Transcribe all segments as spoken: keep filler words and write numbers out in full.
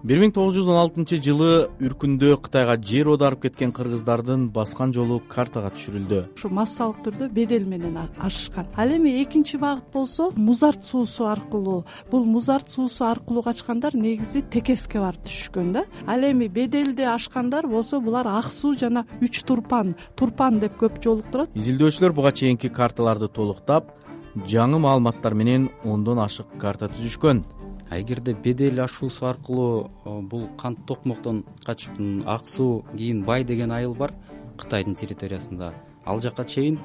бир миң тогуз жүз он алтынчы жылы Үркүндө Кытайга жер оодарып кеткен кыргыздардын баскан жолу картага түшүрүлдү. Ушу массалык түрдө бедел менен ашышкан. Ал эми экинчи багыт болсо Музарт суусу аркылуу. Бул Музарт суусу аркылуу качкандар негизи Текеске барып түшкөн да. Ал эми беделди ашкандар болсо булар Ак суу жана Үч Турпан, Турпан деп көп жолуктурат. Изилдөөчүлөр буга чейинки карталарды толуктап, жаңы маалыматтар менен ондон ашык карта түзүшкөн. Эгерде бедел ашуусу аркылуу бул кант токмоктон качып Ак суу кийин Бай деген айыл бар Кытайдын территориясында, ал жака чейин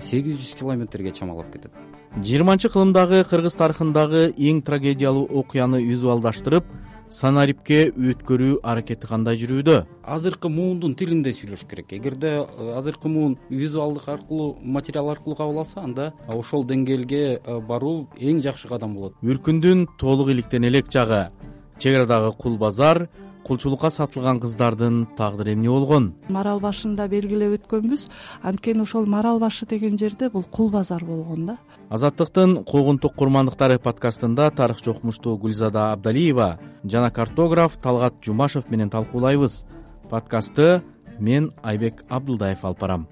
сегиз жүз километрге чамалап кетет. жыйырманчы кылымдагы кыргыз тарыхындагы эң трагедиялуу окуяны визуалдаштырып, санариптке өткөрүү аракети кандай жүрүүдө? Азыркы муундун тилинде сүйлөш керек. Эгерде азыркы муун визуалдык аркылуу, материал аркылуу кабыл алса, анда ошол деңгээлге баруу эң жакшы кадам болот. Үркүндүн толук иликтен элек жагы, чек арадагы кул базар, кулчулукка сатылган кыздардын тагдыры эмне болгон? Марал башында белгилеп өткөнбүз, анткени ошол Марал башы деген жерде бул кул базар болгон да. Азаттыктын куугунтук курмандыктары подкастында тарыхчы окумуштуу Гүлзада Абдалиева жана картограф Талгат Жумашев менен талкуулайбыз. Подкастты мен Айбек Абдылдаев алып барам.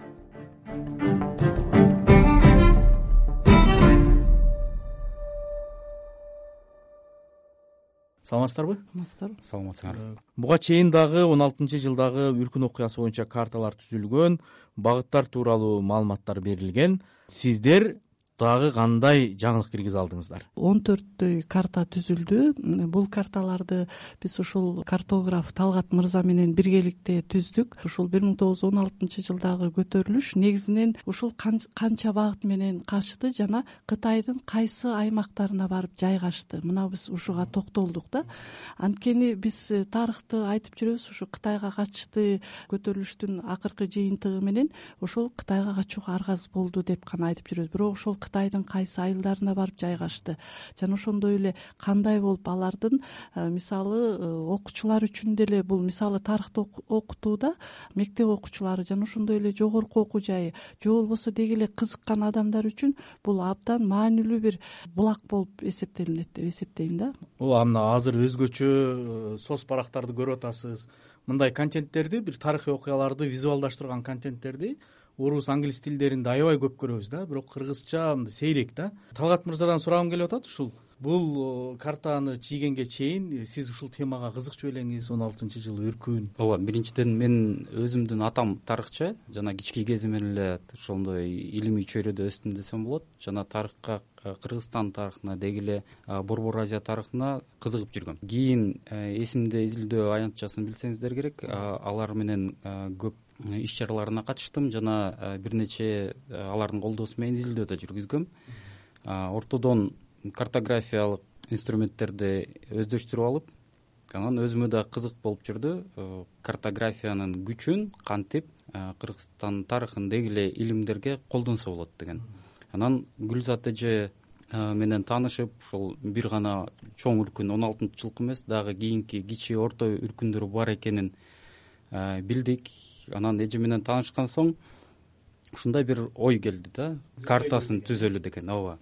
Саламатсыздарбы? Саламатсыздарбы? Саламатсыңар. Буга чейин дагы он алтынчы жылдагы Үркүн окуясы боюнча карталар түзүлгөн, багыттар тууралуу маалыматтар берилген. Сиздер дагы кандай жаңылык киргизе алдыңыздар? он төрттөй карта түзүлдү. Бул карталарды биз ушул картограф Талгат мырза менен биргеликте түздүк. Ушул бир миң тогуз жүз он алтынчы жылдагы көтөрүлүш негизинен ушул канча багыт менен качты жана Кытайдын кайсы аймактарына барып жайгашты. Мына биз ушуга токтолдук да. Анткени биз тарыхты айтып жүрөбүз, ушу Кытайга качты көтөрүлүштүн акыркы жыйынтыгы менен ошол Кытайга качууга аргасыз болду деп гана айтып жүрөбүз. Бирок ошол Кытайдын кайсы айылдарына барып жайгашты жана ошондой эле кандай болуп алардын мисалы окуучулар үчүн деле бул мисалы тарыхты окутууда мектеп окуучулары жана ошондой эле жогорку окуу жайы же болбосо деги эле кызыккан адамдар үчүн бул абдан маанилүү бир булак болуп эсептелинет деп эсептейм да. Ооба, мына азыр өзгөчө соц барактарды көрүп атасыз. Мындай контенттерди, бир тарыхый окуяларды визуалдаштырган контенттерди орус, англис тилдеринде аябай көп көрөбүз да, бирок кыргызча мындай сейрек да. Талгат мырзадан сурагым келип атат, ушул бул картаны чийгенге чейин сиз ушул темага кызыкчу белеңиз, он алтынчы жылы Үркүн. Ооба, биринчиден мен өзүмдүн атам тарыхчы, жана кички кезимден эле ошондой илимий чөйрөдө өстүм десем болот. Жана тарыхка, Кыргызстан тарыхына, деги эле Борбор Азия тарыхына кызыгып жүргөм. Кийин эсимде изилдөө аянтчасын билсеңиздер керек, алар менен көп иш чараларына катыштым жана бир нече алардын колдоосу менен изилдөө да жүргүзгөм. Ортодон картографиялык инструменттерди өздөштүрүп алып, анан өзүмө да кызык болуп жүрдү картографиянын күчүн кантип Кыргызстан тарыхын деги эле илимдерге колдонсо болот деген. Анан Гүлзат эже менен таанышып, ушул бир гана чоң Үркүн он алтынчы жылкы эмес, дагы кийинки кичи орто Үркүндөр бар экенин билдик. Анан эже менен таанышкан соң ушундай бир ой келди да, картасын түзөлү деген. Ооба.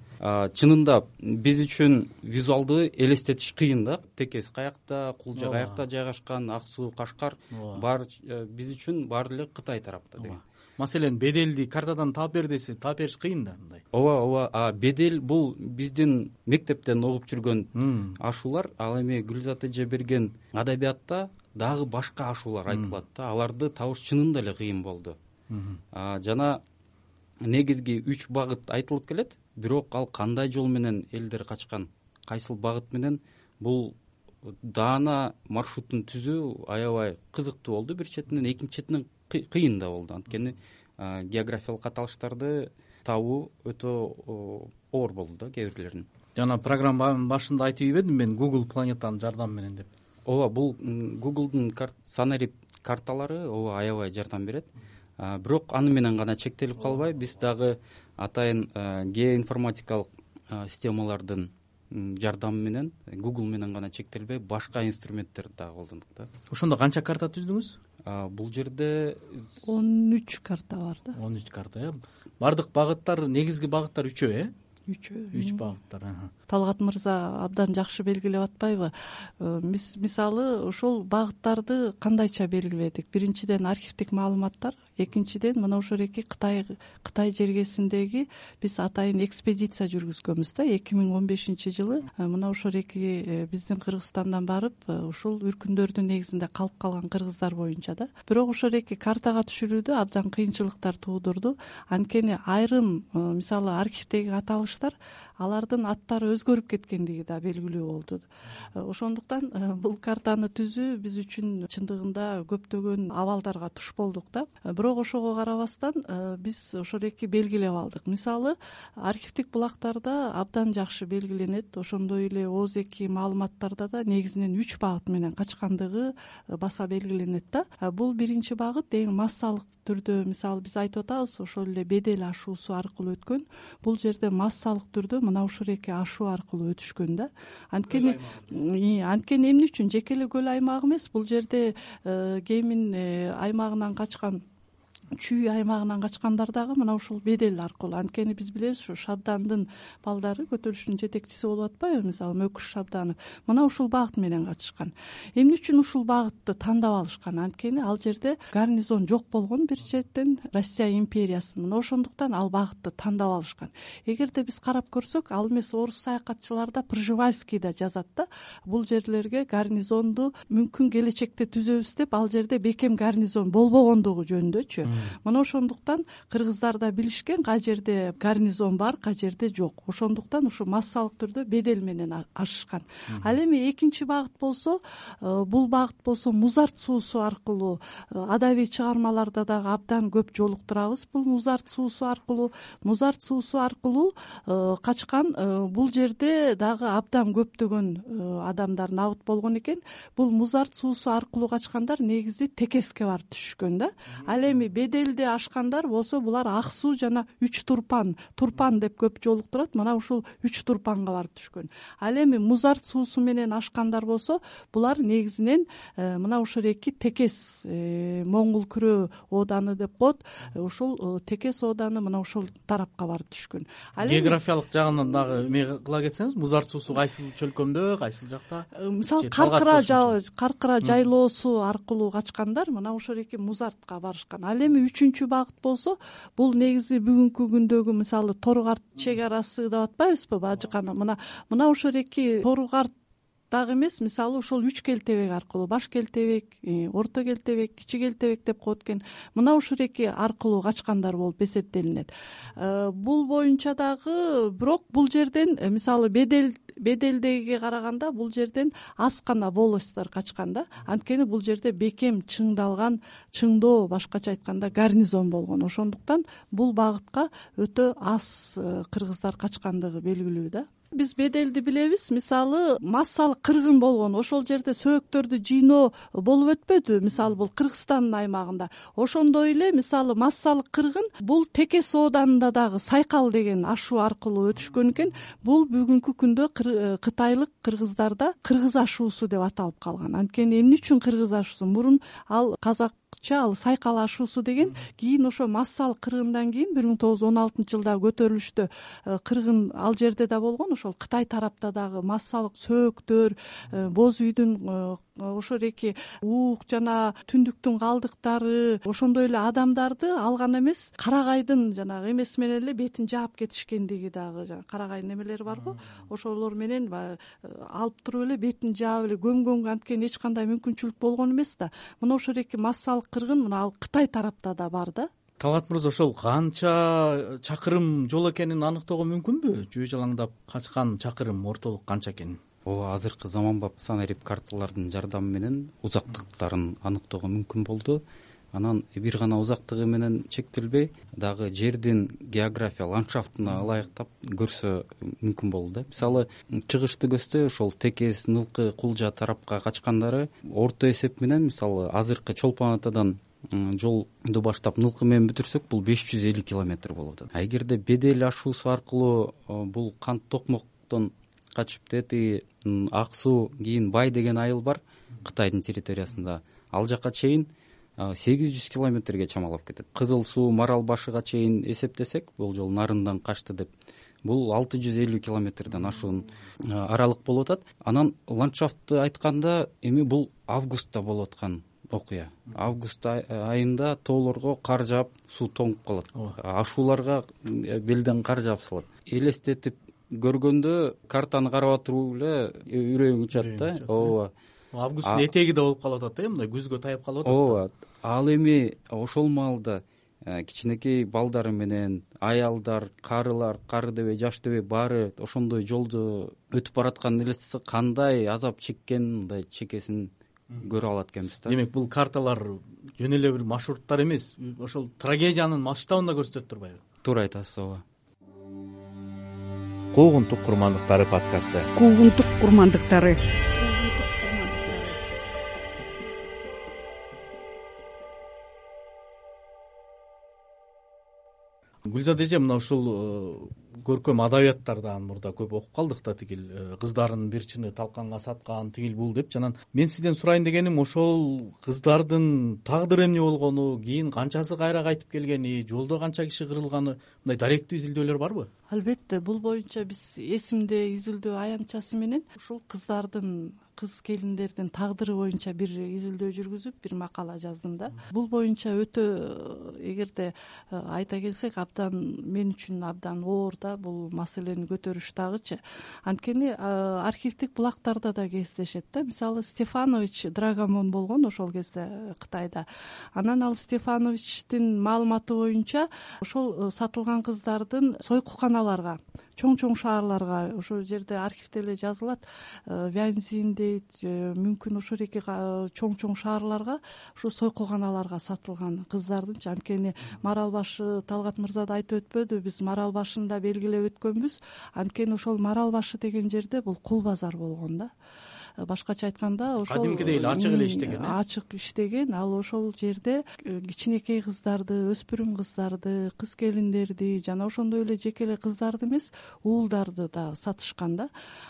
Чынында биз үчүн визуалды элестетиш кыйын да. Текес каякта, Кулжа каякта жайгашкан, Ак суу, Кашкар бар биз үчүн баары эле Кытай тарапта деген. Маселен, беделди картадан таап бер десе, таап бериш кыйын да мындай. Ооба, ооба. А бедел бул биздин мектептен окуп жүргөн ашуулар. Ал эми Гүлзат эже берген адабиятта дагы башка ашуулар айтылат да. Аларды табыш чынында эле кыйын болду. Жана негизги үч багыт айтылып келет, бирок ал кандай жол менен элдер качкан, кайсыл багыт менен, бул даана маршрутун түзүү аябай кызыктуу болду бир четинен, экинчи четинен кыйын да болду. Анткени географиялык аталыштарды табуу өтө оор болду да кээ бирлерин. Жана программанын башында айтып ийбедим мен Google планетанын жардамы менен деп. Ооба, бул Google'дун санарип карталары ооба аябай жардам берет. Бирок аны менен гана чектелип калбай, биз дагы атайын геоинформатикалык системалардын жардамы менен, Google менен гана чектелбей, башка инструменттерди дагы колдондук да. Ошондо канча карта түздүңүз? Бул жерде он үч карта бар да. он үч карта, э? Бардык багыттар, негизги багыттар үчөө, э? үч үч багыттар. Талгат мырза абдан жакшы белгилеп атпайбы? Мисалы ошол багыттарды кандайча белгиледик? Биринчиден архивдик маалыматтар, экинчиден мына ошол эки Кытай Кытай жергесиндеги биз атайын экспедиция жүргүзгөнбүз да эки миң он бешинчи жылы. Мына ошол эки биздин Кыргызстандан барып ушул үркүндөрдүн негизинде калып калган кыргыздар боюнча да. Бирок ошол эки картага түшүрүүдө абдан кыйынчылыктар туудурду. Анткени айрым мисалы архивдеги аталыштар алардын аттары өзгөрүп кеткендиги да белгилүү болду. Ошондуктан бул картаны түзүү биз үчүн чындыгында көптөгөн абалдарга туш болдук да. Бирок ошого карабастан биз ошол эки белгилеп алдык. Мисалы архивдик булактарда абдан жакшы белгиленет. Ошондой эле ооз эки маалыматтарда да негизинен үч багыт менен качкандыгы баса белгиленет да. Бул биринчи багыт эң массалык түрдө, мисалы биз айтып атабыз, ошол эле бедел ашуусу аркылуу өткөн. Бул жерде массалык түрдө мына ушул эки ашуу аркылуу өтүшкөн да. Анткени анткени эмне үчүн жеке эле көл аймагы эмес, бул жерде Геймин аймагынан качкан, Чүй аймагынан качкандар дагы мына ушул бедел аркылуу. Анткени биз билебиз, ушу Шабдандын балдары көтөрүлүштүн жетекчиси болуп атпайбы, мисалы Мөкүш Шабданов. Мына ушул багыт менен катышкан. Эмне үчүн ушул багытты тандап алышкан? Анткени ал жерде гарнизон жок болгон, бир четтен Россия империясынын. Мына ошондуктан ал багытты тандап алышкан. Эгерде биз карап көрсөк, ал эмес орус саякатчылар да Пржевальский да жазат да, бул жерлерге гарнизонду мүмкүн келечекте түзөбүз деп, ал жерде бекем гарнизон болбогондугу жөнүндөчү. Мына ошондуктан кыргыздар да билишкен, кай жерде гарнизон бар, кай жерде жок. Ошондуктан ушу массалык түрдө бедел менен ашышкан. Ал эми экинчи багыт болсо, бул багыт болсо Музарт суусу аркылуу, адабий чыгармаларда дагы абдан көп жолуктурабыз. Бул Музарт суусу аркылуу, Музарт суусу аркылуу качкан. Бул жерде дагы абдан көптөгөн адамдар набыт болгон экен. Бул Музарт суусу аркылуу качкандар негизи Текеске барып түшүшкөн да. Ал эми беделде ашкандар болсо булар Ак суу жана Үч Турпан, Турпан деп көп жолуктурат. Мына ушул Үч Турпанга барып түшкөн. Ал эми Музарт суусу менен ашкандар болсо, булар негизинен мына ушул эки Текес, Моңгол күрөө ооданы деп коет. Ушул Текес ооданы мына ушул тарапка барып түшкөн. Географиялык жагынан дагы эме кыла кетсеңиз, Музарт суусу кайсыл чөлкөмдө, кайсыл жакта? Мисалы Каркыра Каркыра жайлоосу аркылуу качкандар мына ошол эки Музартка барышкан. Ал эми үчүнчү багыт болсо, бул негизи бүгүнкү күндөгү мисалы Торгарт чек арасы деп атпайбызбы, Бажыкана. Мына мына ошол эки Торгарт дагы эмес, мисалы ошол үч келтебек аркылуу, баш келтебек, орто келтебек, кичи келтебек деп коет экен. Мына ушул эки аркылуу качкандар болуп эсептелинет. Бул боюнча дагы, бирок бул жерден мисалы бедел беделдегиге караганда бул жерден аз гана волостьтор качкан да. Анткени бул жерде бекем чыңдалган, чыңдоо, башкача айтканда гарнизон болгон. Ошондуктан бул багытка өтө аз кыргыздар качкандыгы белгилүү да. Биз беделди билебиз, мисалы массалык кыргын болгон, ошол жерде сөөктөрдү жыйноо болуп өтпөдү, мисалы бул Кыргызстандын аймагында. Ошондой эле мисалы массалык кыргын бул Текес ооданында дагы Сайкал деген ашуу аркылуу өтүшкөн экен. Бул бүгүнкү күндө кытайлык кыргыздарда кыргыз ашуусу деп аталып калган. Анткени эмне үчүн кыргыз ашуусу? Мурун ал казак ал Сайкал ашуусу деген, кийин ошо массалык кыргындан кийин бир миң тогуз жүз он алтынчы жылда көтөрүлүштө кыргын ал жерде да болгон. Ошол Кытай тарапта дагы массалык сөөктөр, боз үйдүн ошол эки уук жана түндүктүн калдыктары, ошондой эле адамдарды алган эмес, карагайдын жанагы эмеси менен эле бетин жаап кетишкендиги дагы, жана карагайдын эмелери барго, ошолор менен алып туруп эле бетин жаап эле көмгөнгө анткени эч кандай мүмкүнчүлүк болгон эмес да. Мына ошол эки массалык кыргын мына ал Кытай тарапта да бар да. Талгат мырза, ошол канча чакырым жол экенин аныктоого мүмкүнбү? Жөө жалаңдап качкан чакырым ортолук канча экенин? Ооба, азыркы заманбап санарип карталардын жардамы менен узактыктарын аныктоого мүмкүн болду. Анан бир гана узактыгы менен чектелбей, дагы жердин география, ландшафтына ылайыктап көрсө мүмкүн болду да. Мисалы, чыгышты көздөй ошол Текес, Нылкы, Кулжа тарапка качкандары орто эсеп менен, мисалы, азыркы Чолпон Атадан жолду баштап Нылкы менен бүтүрсөк, бул беш жүз элүү километр болуп атат. А эгерде бедел ашуусу аркылуу бул Кант Токмоктон качып тети Ак суу, кийин Бай деген айыл бар Кытайдын территориясында, ал жака чейин сегиз жүз километрге чамалап кетет. Кызыл суу, Марал башыга чейин эсептесек, бул жол нарындан качты деп бул алты жүз элүү километрден ашуун аралык болуп атат. Анан ландшафтты айтканда эми бул августта болуп аткан окуя. Август айында тоолорго кар жаап, суу тоңуп калат. Ашууларга белден кар жаап салат. Элестетип көргөндө картаны карап туруп эле үрөйүң учат да. Ооба. Августтун этеги да болуп калып атат, э, мындай күзгө таяп калып атат. Ооба. Ал эми ошол маалда кичинекей балдары менен аялдар, карылар, кары дебей, жаш дебей баары ошондой жолду өтүп баратканын элестесе кандай азап чеккенин, мындай чекесин көрө алат экенбиз да. Демек бул карталар жөн эле бир маршруттар эмес, ошол трагедиянын масштабын да көрсөтөт турбайбы? Туура айтасыз, ооба. Куугунтук курмандыктары подкасты. Куугунтук курмандыктары. Гүлзат эже, мына ушул көркөм адабияттардан мурда көп окуп калдык да, тигил кыздардын бир чыны талканга саткан, тигил бул деп. Жанан мен сизден сурайын дегеним, ошол кыздардын тагдыры эмне болгону, кийин канчасы кайра кайтып келгени, жолдо канча киши кырылганы, мындай даректүү изилдөөлөр барбы? Албетте, бул боюнча биз эсимде изилдөө аянтчасы менен ушул кыздардын, кыз келиндердин тагдыры боюнча бир изилдөө жүргүзүп, бир макала жаздым да. Бул боюнча өтө, эгерде айта келсек, абдан мен үчүн абдан оор да бул маселени көтөрүш дагычы. Анткени архивдик булактарда да кездешет да. Мисалы, Стефанович Драгомон болгон ошол кезде Кытайда. Анан ал Стефановичтин маалыматы боюнча ошол сатылган кыздардын сойкуканаларга, чоң-чоң шаарларга, ошол жерде архивде эле жазылат, Вянзин дейт, мүмкүн ошол эки чоң-чоң шаарларга, ушу сойкуканаларга сатылган кыздардынчы. Анткени Марал башы, Талгат мырза да айтып өтпөдү, биз Марал башында белгилеп өткөнбүз. Анткени ошол Марал башы деген жерде бул кул базар болгон да. Башкача айтканда, ошол кадимкидей эле ачык эле иштеген, ачык иштеген. Ал ошол жерде кичинекей кыздарды, өспүрүм кыздарды, кыз келиндерди жана ошондой эле жеке эле кыздарды эмес, уулдарды да сатышкан да.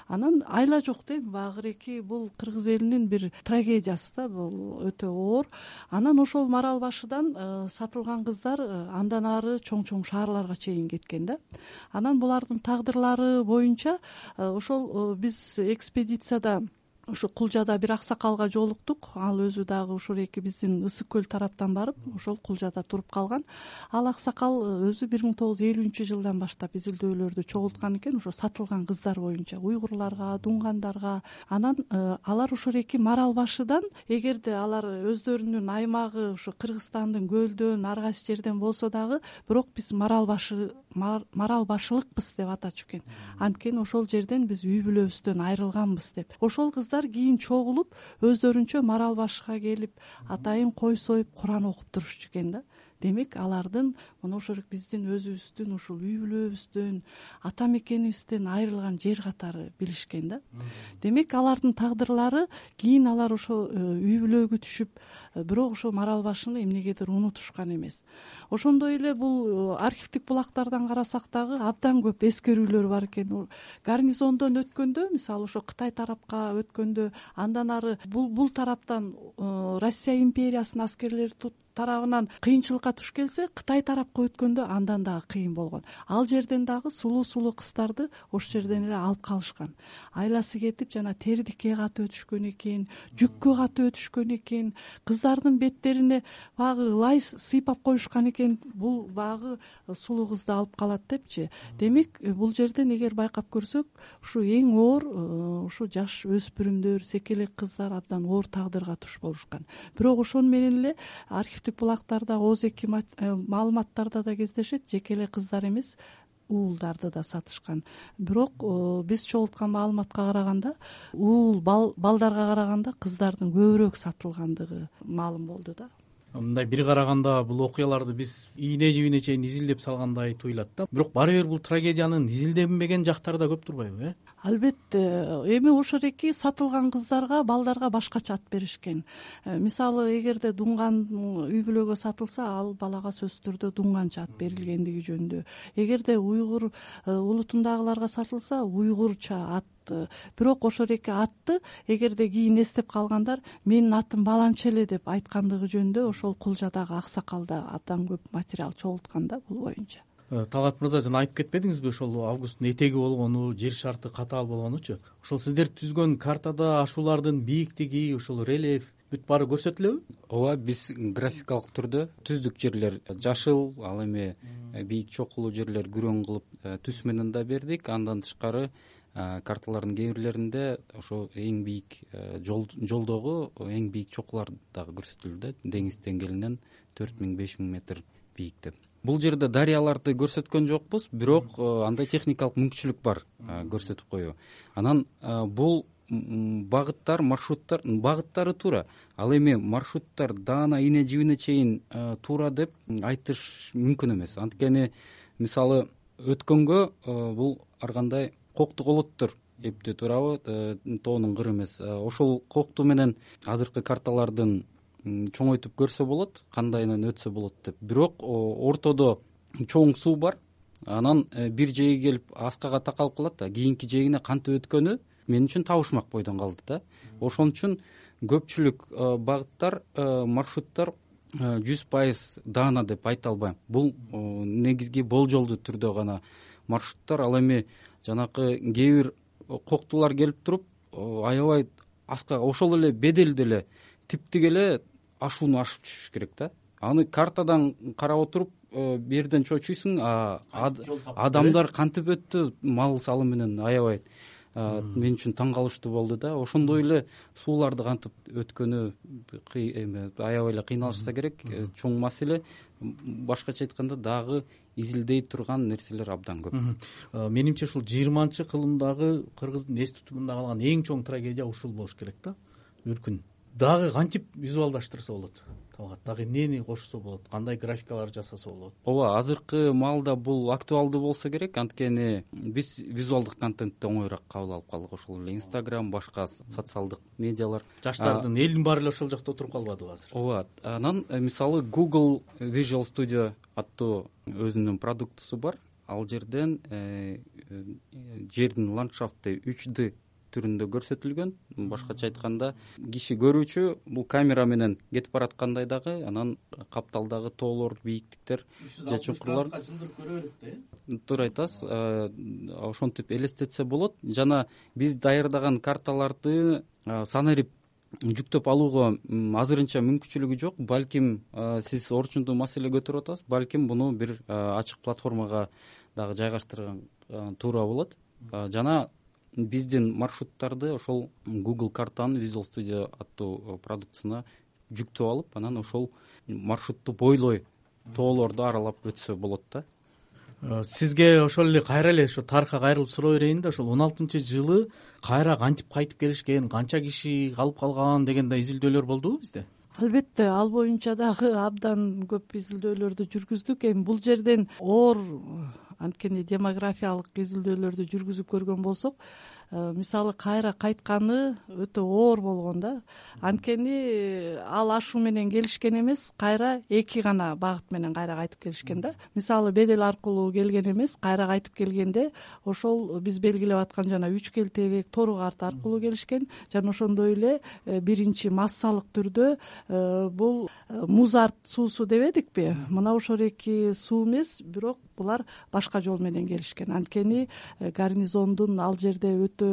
Анан айла жок дейм, багыреки бул кыргыз элинин бир трагедиясы да, бул өтө оор. Анан ошол Марал башыдан сатылган кыздар андан ары чоң-чоң шаарларга чейин кеткен да. Анан булардын тагдырлары боюнча ошол биз экспедицияда ушу Кулжада бир аксакалга жолуктук. Ал өзү дагы ушул эки биздин Ысык көл тараптан барып, ошол Кулжада туруп калган. Ал аксакал өзү бир миң тогуз жүз элүүнчү жылдан баштап изилдөөлөрдү чогулткан экен, ошо сатылган кыздар боюнча, уйгурларга, дунгандарга. Анан алар ушул эки Марал башыдан, эгерде алар өздөрүнүн аймагы ушу Кыргызстандын көлдөн, ар кайсы жерден болсо дагы, бирок биз Марал башы Марал башылыкпыз деп атачу экен. Анткени ошол жерден биз үй бүлөбүздөн айрылганбыз деп. Ошол кыздар кийин чогулуп, өздөрүнчө Марал башыга келип, атайын кой союп, Куран окуп турушчу экен да. Демек, алардын мына ошол биздин өзүбүздүн ушул үй бүлөбүздөн, ата мекенибизден айрылган жер катары билишкен да. Демек, алардын тагдырлары кийин алар ошо үй бүлөгө түшүп, бирок ошо Марал башыны эмнегедир унутушкан эмес. Ошондой эле бул архивдик булактардан карасак дагы абдан көп эскерүүлөр бар экен. Гарнизондон өткөндө, мисалы ошо Кытай тарапка өткөндө, андан ары бул бул тараптан Россия империясынын аскерлери тарабынан кыйынчылыкка туш келсе, Кытай тарапка өткөндө андан дагы кыйын болгон. Ал жерден дагы сулуу-сулуу кыздарды ошол жерден эле алып калышкан. Айласы кетип, жана тердикке катып өтүшкөн экен, жүккө катып өтүшкөн экен, кыздардын беттерине багы лай сыйпап коюшкан экен. Бул багы сулуу кызды алып калат депчи. Демек, бул жерден эгер байкап көрсөк, ушу эң оор ушу жаш өспүрүмдөр, секелек кыздар абдан оор тагдырга туш болушкан. Бирок ошону менен эле архивдик булактарда, ооз-эки маалыматтарда да кездешет, жеке эле кыздар эмес, уулдарды да сатышкан. Бирок биз чогулткан маалыматка караганда, уул балдарга караганда кыздардын көбүрөөк сатылгандыгы маалым болду да. Мындай бир караганда бул окуяларды биз ийне жибине чейин изилдеп салгандай туюлат да. Бирок баары бир бул трагедиянын изилденбеген жактары да көп турбайбы, э? Албетте, эми ошол эки сатылган кыздарга, балдарга башкача ат беришкен. Мисалы, эгерде дунган үй бүлөгө сатылса, ал балага сөзсүз түрдө дунганча ат берилгендиги жөнүндө. Эгерде уйгур улутундагыларга сатылса, уйгурча ат. Бирок ошол эки атты эгерде кийин эстеп калгандар, менин атым баланча эле деп айткандыгы жөнүндө ошол Кулжадагы аксакалда абдан көп материал чогулткан да бул боюнча. Талгат мырза, жана айтып кетпедиңизби ошол августтун этеги болгону, жер шарты катаал болгонучу? Ошол сиздер түзгөн картада ашуулардын бийиктиги, ошол рельеф бүт баары көрсөтүлөбү? ооба, биз графикалык түрдө түздүк жерлер жашыл, ал эми бийик чокулуу жерлер күрөң кылып түс менен да бердик. Андан тышкары карталардын кээ бирлеринде ошо эң бийик жолдогу эң бийик чокулар дагы көрсөтүлдү, деңиз деңгээлинен төрт миң беш миң метр бийикте. Бул жерде дарыяларды көрсөткөн жокпуз, бирок андай техникалык мүмкүнчүлүк бар көрсөтүп коюу. Анан бул багыттар, маршруттар багыттары туура, ал эми маршруттар даана ийне жибине чейин туура деп айтыш мүмкүн эмес. Анткени мисалы өткөнгө бул ар кандай кокту колоттор эптеп турабы, тоонун кыры эмес. Ошол кокту менен азыркы карталардын чоңойтуп көрсө болот, кандайынан өтсө болот деп. Бирок ортодо чоң суу бар, анан бир жээги келип аскага такалып калат да, кийинки жээгине кантип өткөнү мен үчүн табышмак бойдон калды да. Ошон үчүн көпчүлүк багыттар, маршруттар жүз пайыз даана деп айта албайм. Бул негизги болжолдуу түрдө гана маршруттар. Ал эми жанакы кээ бир коктулар келип туруп аябай аскага, ошол эле беделде эле типтик эле ашууну ашып түшүш керек да. Аны картадан карап отуруп берден чочуйсуң, адамдар кантип өттү мал салы менен, аябай мен үчүн таң калыштуу болду да. Ошондой эле сууларды кантип өткөнү аябай эле кыйналышса керек. Чоң маселе. Башкача айтканда дагы изилдей турган нерселер абдан көп. Менимче ушул жыйырманчы кылымдагы кыргыздын эс тутумунда калган эң чоң трагедия ушул болуш керек да. Өлкүн дагы кантип визуалдаштырса болот? Талгат, дагы эмнени кошсо болот? Кандай графикалар жасаса болот? Ооба, азыркы маалда бул актуалдуу болсо керек, анткени биз визуалдык контентти оңоюраак кабыл алып калдык. Ошол эле Instagram, башка социалдык медиалар. Жаштардын элдин баары эле ошол жакта отуруп калбадыбы азыр? Ооба. Анан мисалы Google Visual Studio аттуу өзүнүн продуктусу бар. Ал жерден жердин ландшафты үч дэ түрүндө көрсөтүлгөн. Башкача айтканда, киши көрүүчү бул камера менен кетип бараткандай дагы, анан капталдагы тоолор, бийиктиктер же чуңкурлар туура айтасыз, ошентип элестетсе болот. Жана биз даярдаган карталарды санарип жүктөп алууга азырынча мүмкүнчүлүгү жок. Балким сиз орчундуу маселе көтөрүп атасыз, балким буну бир ачык платформага дагы жайгаштырган туура болот. Жана биздин маршруттарды ошол Google картанын Visual Studio аттуу продуктусуна жүктөп алып, анан ошол маршрутту бойлой тоолорду аралап өтсө болот да. Сизге ошол эле кайра эле ошо тарыхка кайрылып суроо берейин да. Ошол он алтынчы жылы кайра кантип кайтып келишкен, канча киши калып калган деген да изилдөөлөр болдубу бизде? Албетте, ал боюнча дагы абдан көп изилдөөлөрдү жүргүздүк. Эми бул жерден оор анткени демографиялык изилдөөлөрдү жүргүзүп көргөн болсок, мисалы кайра кайтканы өтө оор болгон да. Анткени ал ашуу менен келишкен эмес, кайра эки гана багыт менен кайра кайтып келишкен да. Мисалы бедел аркылуу келген эмес, кайра кайтып келгенде ошол биз белгилеп аткан жана үч келтебек тору карта аркылуу келишкен. Жана ошондой эле биринчи массалык түрдө бул музарт суусу дебедикпи? Мына ошол эки суу эмес, бирок булар башка жол менен келишкен. Анткени гарнизондун ал жерде өтө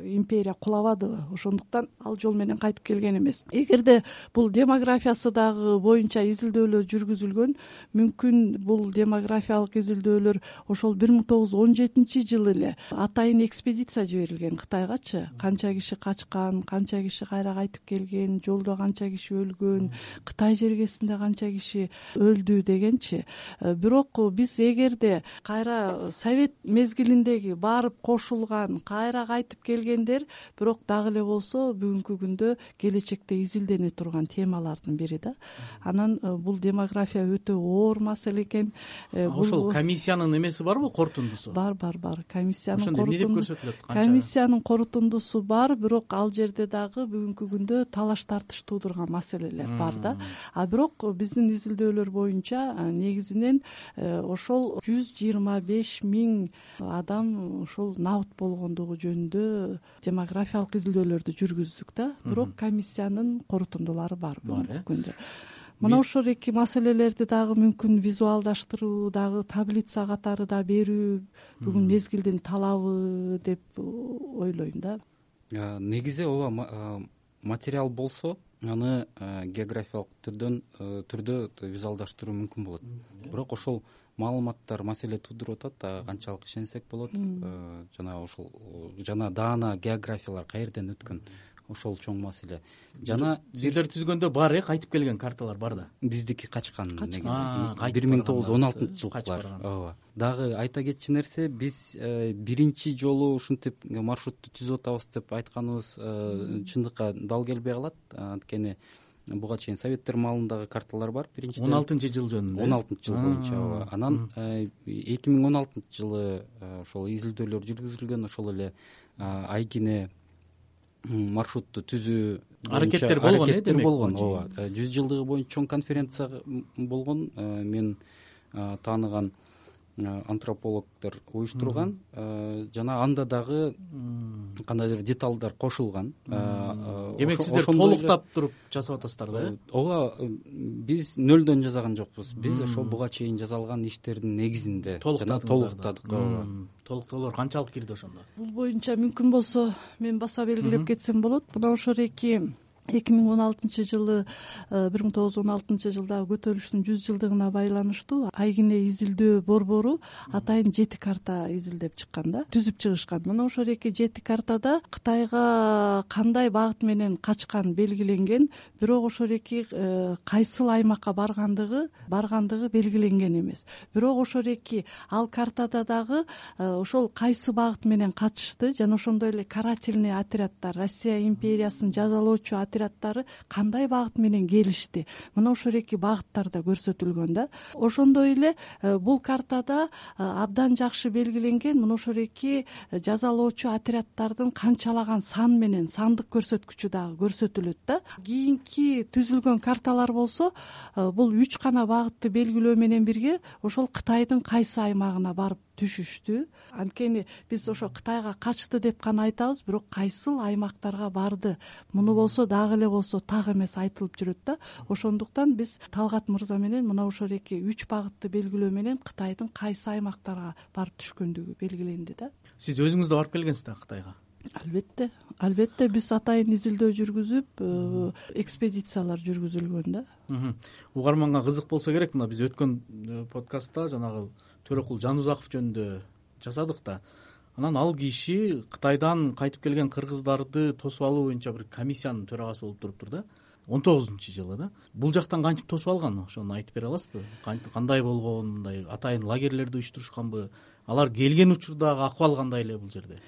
империя кулабадыбы, ошондуктан ал жол менен кайтып келген эмес. Эгерде бул демографиясы дагы боюнча изилдөөлөр жүргүзүлгөн, мүмкүн бул демографиялык изилдөөлөр ошол бир миң тогуз жүз он жетинчи жылы эле атайын экспедиция жиберилген Кытайгачы. Канча киши качкан, канча киши кайра кайтып келген, жолдо канча киши өлгөн, Кытай жергесинде канча киши өлдү дегенчи. Бирок биз эгерде кайра совет мезгилиндеги барып кошулган, кайра кайтып келгендер, бирок дагы эле болсо бүгүнкү күндө келечекте изилдене турган темалардын бири да. Анан бул демография өтө оор маселе экен. Ошол комиссиянын эмеси барбы, корутундусу? Бар, бар, бар. Комиссиянын корутундусу. Ошондо эмне деп көрсөтүлөт? Комиссиянын корутундусу бар, бирок ал жерде дагы бүгүнкү күндө талаш тартыш туудурган маселелер бар да. А бирок биздин изилдөөлөр боюнча негизинен ошол жүз жыйырма беш миң адам ошол набыт болгондугу жөнүндө демографиялык изилдөөлөрдү жүргүздүк да. Бирок комиссиянын корутундулары бар бүгүнкү күндө. мына ошол эки маселелерди дагы мүмкүн визуалдаштыруу, дагы таблица катары да берүү бүгүн мезгилдин талабы деп ойлойм да. Негизи ооба материал болсо аны географиялык түрдөн түрдө визуалдаштыруу мүмкүн болот. Бирок ошол маалыматтар маселе туудуруп атат, канчалык ишенсек болот. Жана ошол жана даана географиялар каерден өткөн, ошол чоң маселе. Жана сиздер түзгөндө бар э кайтып келген карталар бар да. Биздики качкан негизи бир миң тогуз жүз он алтынчы жылкылар. Ооба. Дагы айта кетчү нерсе, биз биринчи жолу ушинтип маршрутты түзүп атабыз деп айтканыбыз чындыкка дал келбей калат. Анткени буга чейин советтер маалындагы карталар бар. Биринчи он алтынчы жыл жөнүндө. он алтынчы жыл боюнча. Ооба. Анан эки миң он алтынчы жылы ошол изилдөөлөр жүргүзүлгөн, ошол эле айкине маршрутту түзүү аракеттер болгон, аракеттер болгон. Ооба. жүз жылдыгы боюнча чоң конференция болгон. Мен тааныган антропологдор уюштурган, жана анда дагы кандайдыр деталдар кошулган. Демек сиздер толуктап туруп жасап атасыздар да? Ооба, биз нөлдөн жасаган жокпуз. Биз ошол буга чейин жасалган иштердин негизинде жана толуктадык. Толуктоолор канчалык кирди ошондо? Бул боюнча мүмкүн болсо мен баса белгилеп кетсем болот. Мына ошол эки эки миң он алтынчы жылы бир миң тогуз жүз он алтынчы жылдагы көтөрүлүштүн жүз жылдыгына байланыштуу айкине изилдөө борбору атайын жети карта изилдеп чыккан да, түзүп чыгышкан. Мына ошол эки жети картада Кытайга кандай багыт менен качкан белгиленген, бирок ошол эки кайсыл аймакка баргандыгы баргандыгы белгиленген эмес. Бирок ошол эки ал картада дагы ошол кайсы багыт менен качышты жана ошондой эле карательный отряддар, Россия империясын жазалоочу отряддары кандай багыт менен келишти. Мына ошол эки багыттарда көрсөтүлгөн да. Ошондой эле бул картада абдан жакшы белгиленген мына ошол эки жазалоочу отряддардын канчалаган сан менен сандык көрсөткүчү дагы көрсөтүлөт да. Кийинки түзүлгөн карталар болсо бул үч гана багытты белгилөө менен бирге ошол Кытайдын кайсы аймагына барып түшүштү. Анткени биз ошо Кытайга качты деп гана айтабыз, бирок кайсыл аймактарга барды, муну болсо дагы эле болсо так эмес айтылып жүрөт да. Ошондуктан биз Талгат мырза менен мына ошол эки үч багытты белгилөө менен Кытайдын кайсы аймактарга барып түшкөндүгү белгиленди да. Сиз өзүңүз да барып келгенсиз да Кытайга? Албетте, албетте биз атайын изилдөө жүргүзүп, экспедициялар жүргүзүлгөн да. Угарманга кызык болсо керек, мына биз өткөн подкастта жанагы Төрөкул Жанузаков жөнүндө жасадык да. Анан ал киши Кытайдан кайтып келген кыргыздарды тосуп алуу боюнча бир комиссиянын төрагасы болуп туруптур да. он тогузунчу жылы да. Бул жактан кантип тосуп алган, ошону айтып бере аласызбы? Кандай болгон, мындай атайын лагерлерди уюштурушканбы? Алар келген учурдагы акыбал кандай эле бул жерде?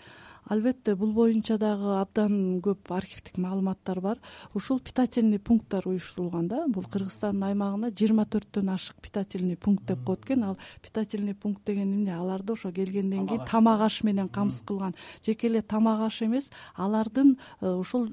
Албетте, бул боюнча дагы абдан көп архивдик маалыматтар бар. Ушул питательный пункттар уюштурулган да. Бул Кыргызстандын аймагына жыйырма төрттөн ашык питательный пункт деп коет экен. Ал питательный пункт деген эмне? Аларды ошо келгенден кийин тамак аш менен камсыз кылган. Жеке эле тамак аш эмес, алардын ошол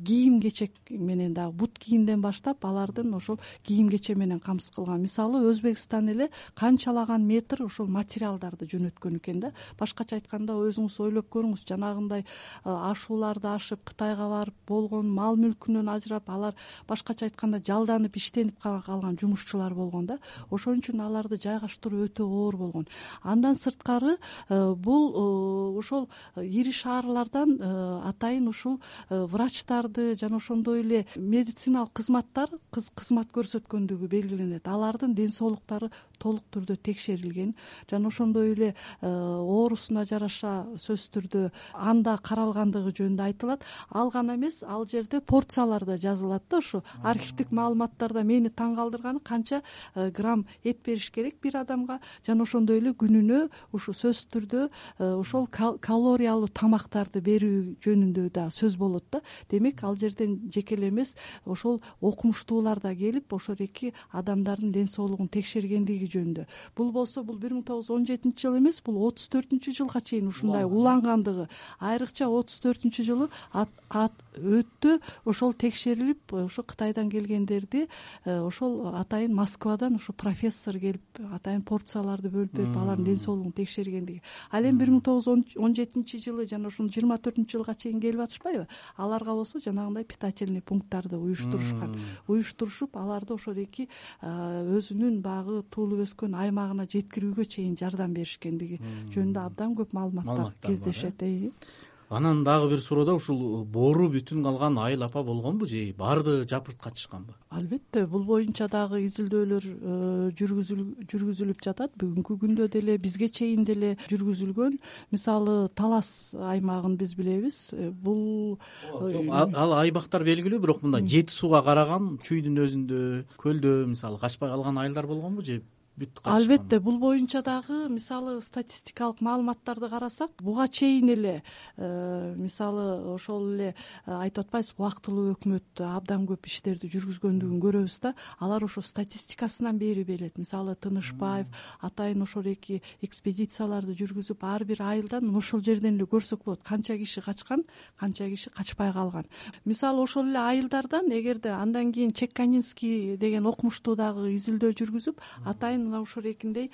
кийим кечек менен дагы бут кийимден баштап алардын ошол кийим кече менен камсыз кылган. Мисалы Өзбекстан эле канчалаган метр ошол материалдарды жөнөткөн экен да. Башкача айтканда өзүңүз ойлоп көрүңүз, жанагындай ашууларды ашып Кытайга барып болгон мал мүлкүнөн ажырап, алар башкача айтканда жалданып иштенип калган жумушчулар болгон да. Ошон үчүн аларды жайгаштыруу өтө оор болгон. Андан сырткары бул ошол ири шаарлардан атайын ушул врачтарды жана ошондой эле медициналык кызматтар кызмат көрсөткөндүгү белгиленет. Алардын ден соолуктары толук түрдө текшерилген жана ошондой эле оорусуна жараша сөзсүз түрдө анда каралгандыгы жөнүндө айтылат. Ал гана эмес, ал жерде порциялар да жазылат да. Ошо архивдик маалыматтарда мени таң калтырганы канча грамм эт бериш керек бир адамга жана ошондой эле күнүнө ушу сөзсүз түрдө ошол калориялуу тамактарды берүү жөнүндө да сөз болот да. Демек ал жерден жеке эле эмес, ошол окумуштуулар да келип ошол эки адамдардын ден соолугун текшергендиги экендиги жөнүндө. Бул болсо бул бир миң тогуз жүз он жетинчи жыл эмес, бул отуз төртүнчү жылга чейин ушундай улангандыгы. Айрыкча отуз төртүнчү жылы өтө ошол текшерилип, ошо Кытайдан келгендерди ошол атайын Москвадан ошо профессор келип атайын порцияларды бөлүп берип алардын ден соолугун текшергендиги. Ал эми бир миң тогуз жүз он жетинчи жылы жана ушул жыйырма төртүнчү жылга чейин келип атышпайбы? Аларга болсо жанагындай питательный пункттарды уюштурушкан. Уюштурушуп, аларды ошодеки өзүнүн баягы туулуп өскөн аймагына жеткирүүгө чейин жардам беришкендиги жөнүндө абдан көп маалыматтар кездешет. Анан дагы бир суроодо ушул боору бүтүн калган айыл апа болгонбу же баардыгы жапырт качышканбы? Албетте, бул боюнча дагы изилдөөлөр жүргүзүлүп жатат. Бүгүнкү күндө деле бизге чейин деле жүргүзүлгөн. Мисалы Талас аймагын биз билебиз. Бул ал аймактар белгилүү, бирок мындай жети сууга караган чүйдүн өзүндө, көлдө мисалы качпай калган айылдар болгонбу же? Албетте, бул боюнча дагы мисалы статистикалык маалыматтарды карасак, буга чейин эле мисалы ошол эле айтып атпайсызбы, убактылуу өкмөт абдан көп иштерди жүргүзгөндүгүн көрөбүз да. Алар ошо статистикасынан бери берет. Мисалы Тынышбаев атайын ошол эки экспедицияларды жүргүзүп, ар бир айылдан ошол жерден эле көрсөк болот канча киши качкан, канча киши качпай калган. Мисалы ошол эле айылдардан эгерде андан кийин Чекканинский деген окумуштуу дагы изилдөө жүргүзүп, атайын мына ушул экиндей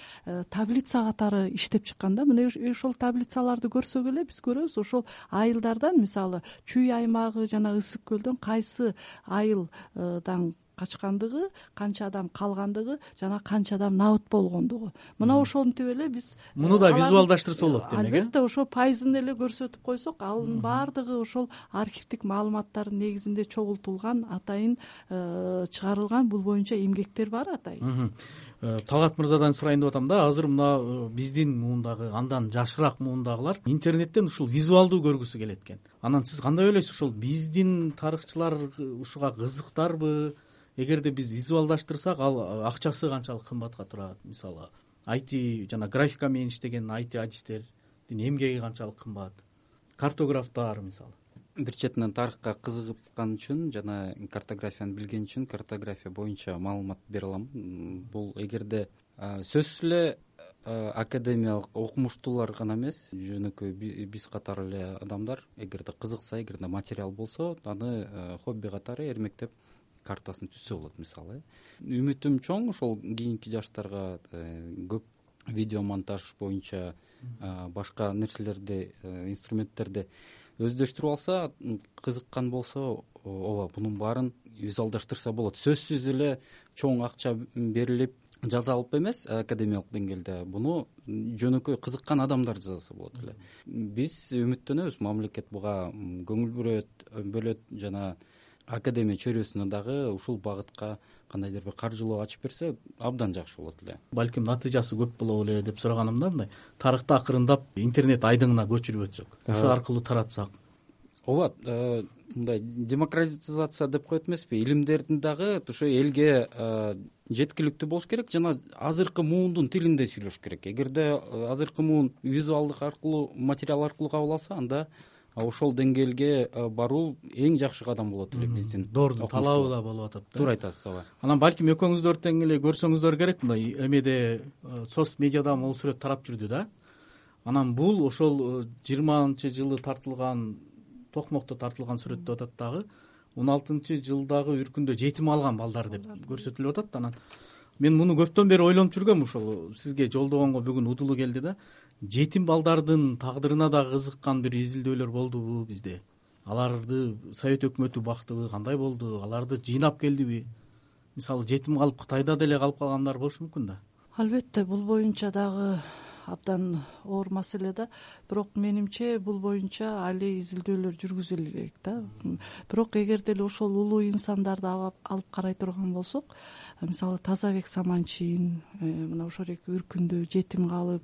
таблица катары иштеп чыккан да. Мына ошол таблицаларды көрсөк эле биз көрөбүз, ошол айылдардан мисалы Чүй аймагы жана Ысык көлдөн кайсы айылдан качкандыгы, канча адам калгандыгы жана канча адам набыт болгондугу. Мына ошентип эле биз муну да визуалдаштырса болот демек. Албетте, ошо пайызын эле көрсөтүп койсок, анын баардыгы ошол архивдик маалыматтардын негизинде чогултулган, атайын чыгарылган бул боюнча эмгектер бар атайын. Талгат мырзадан сурайын деп атам да, азыр мына биздин муундагы, андан жашыраак муундагылар интернеттен ушул визуалдуу көргүсү келет экен. Анан сиз кандай ойлойсуз, ушул биздин тарыхчылар ушуга кызыктарбы? Эгерде биз визуалдаштырсак, ал акчасы канчалык кымбатка турат? Мисалы ай ти жана графика менен иштеген ай ти адистердин эмгеги канчалык кымбат? Картографтар мисалы. Бир четинен тарыхка кызыгып үчүн жана картографияны билген үчүн картография боюнча маалымат бере алам. Бул эгерде сөзсүз эле академиялык окумуштуулар гана эмес, жөнөкөй биз катары эле адамдар эгерде кызыкса, эгерде материал болсо, аны хобби катары эрмектеп картасын түзсө болот. Мисалы үмүтүм чоң, ошол кийинки жаштарга көп видео монтаж боюнча башка нерселерди, инструменттерди өздөштүрүп алса, кызыккан болсо, ооба, бунун баарын визуалдаштырса болот. Сөзсүз эле чоң акча берилип жазалып эмес, академиялык деңгээлде буну жөнөкөй кызыккан адамдар жазса болот эле. Биз үмүттөнөбүз, мамлекет буга көңүл бөлөт жана академия чөйрөсүнө дагы ушул багытка кандайдыр бир каржылоо ачып берсе, абдан жакшы болот эле. Балким натыйжасы көп болобу эле деп сураганымда, мындай тарыхты акырындап интернет айдыңына көчүрүп өтсөк, ошол аркылуу таратсак. Ооба, мындай демократизация деп коет эмеспи? Илимдердин дагы ошо элге жеткиликтүү болуш керек жана азыркы муундун тилинде сүйлөш керек. Эгерде азыркы муун визуалдык аркылуу, материал аркылуу кабыл алса, анда ошол деңгээлге баруу эң жакшы кадам болот эле биздин. Доордун талабы да болуп атат да. Туура айтасыз, ооба. Анан балким экөөңүздөр тең эле көрсөңүздөр керек, мындай эмеде соц медиада могу сүрөт тарап жүрдү да. Анан бул ошол жыйырманчы жылы тартылган, Токмокто тартылган сүрөт деп атат дагы. он алтынчы жылдагы үркүндө жетим алган балдар деп көрсөтүлүп атат. Анан мен муну көптөн бери ойлонуп жүргөм, ошол сизге жолдогонго бүгүн удулуу келди да. Жетим балдардын тагдырына да кызыккан бир изилдөөлөр болдубу бизде? Аларды Совет өкмөтү бактыбы, кандай болду? Аларды жыйнап келдиби? Мисалы жетим калып Кытайда деле калып калгандар болушу мүмкүн да. Албетте, бул боюнча дагы абдан оор маселе да. Бирок менимче бул боюнча али изилдөөлөр жүргүзүлө керек да. Бирок эгер деле ошол улуу инсандарды алып карай турган болсок, мисалы Тазабек Саманчин мына ошол эки үркүндө жетим калып,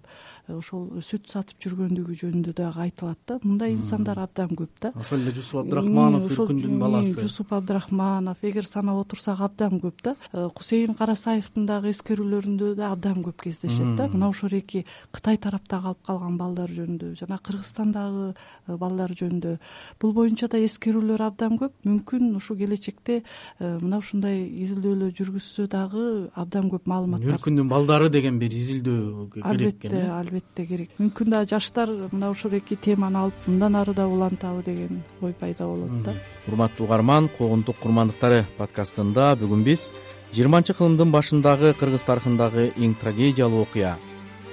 ошол сүт сатып жүргөндүгү жөнүндө дагы айтылат да. Мындай инсандар абдан көп да. Ошол эле Жусуп Абдрахманов үркүндүн баласы. Жусуп Абдрахманов, эгер санап отурсак абдан көп да. Кусейин Карасаевдин дагы эскерүүлөрүндө да абдан көп кездешет да. Мына ошол эки Кытай тарапта калып калган балдар жөнүндө жана Кыргызстандагы балдар жөнүндө бул боюнча да эскерүүлөр абдан көп. Мүмкүн ушу келечекте мына ушундай изилдөөлөр жүргүзсө жөнүндө дагы абдан көп маалымат бар. Нуркүндүн балдары деген бир изилдөө керек албетте экен. албетте керек. Мүмкүн да жаштар мына ушул эки теманы алып мындан ары да улантабы деген ой пайда болот да. Урматтуу угарман, Когунтук курмандыктары подкастында бүгүн биз жыйырманчы кылымдын башындагы кыргыз тарыхындагы эң трагедиялуу окуя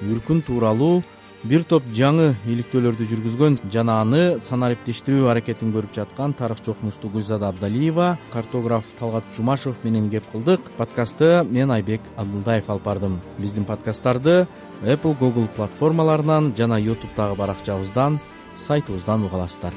Үркүн тууралуу бир топ жаңы иликтөөлөрдү жүргүзгөн жана аны санариптештирүү аракетин көрүп жаткан тарыхчы окумуштуу Гүлзада Абдалиева, картограф Талгат Жумашев менен кеп кылдык. Подкастты мен Айбек Абдылдаев алып бардым. Биздин подкасттарды Apple, Google платформаларынан жана YouTube'дагы баракчабыздан, сайтыбыздан уга аласыздар.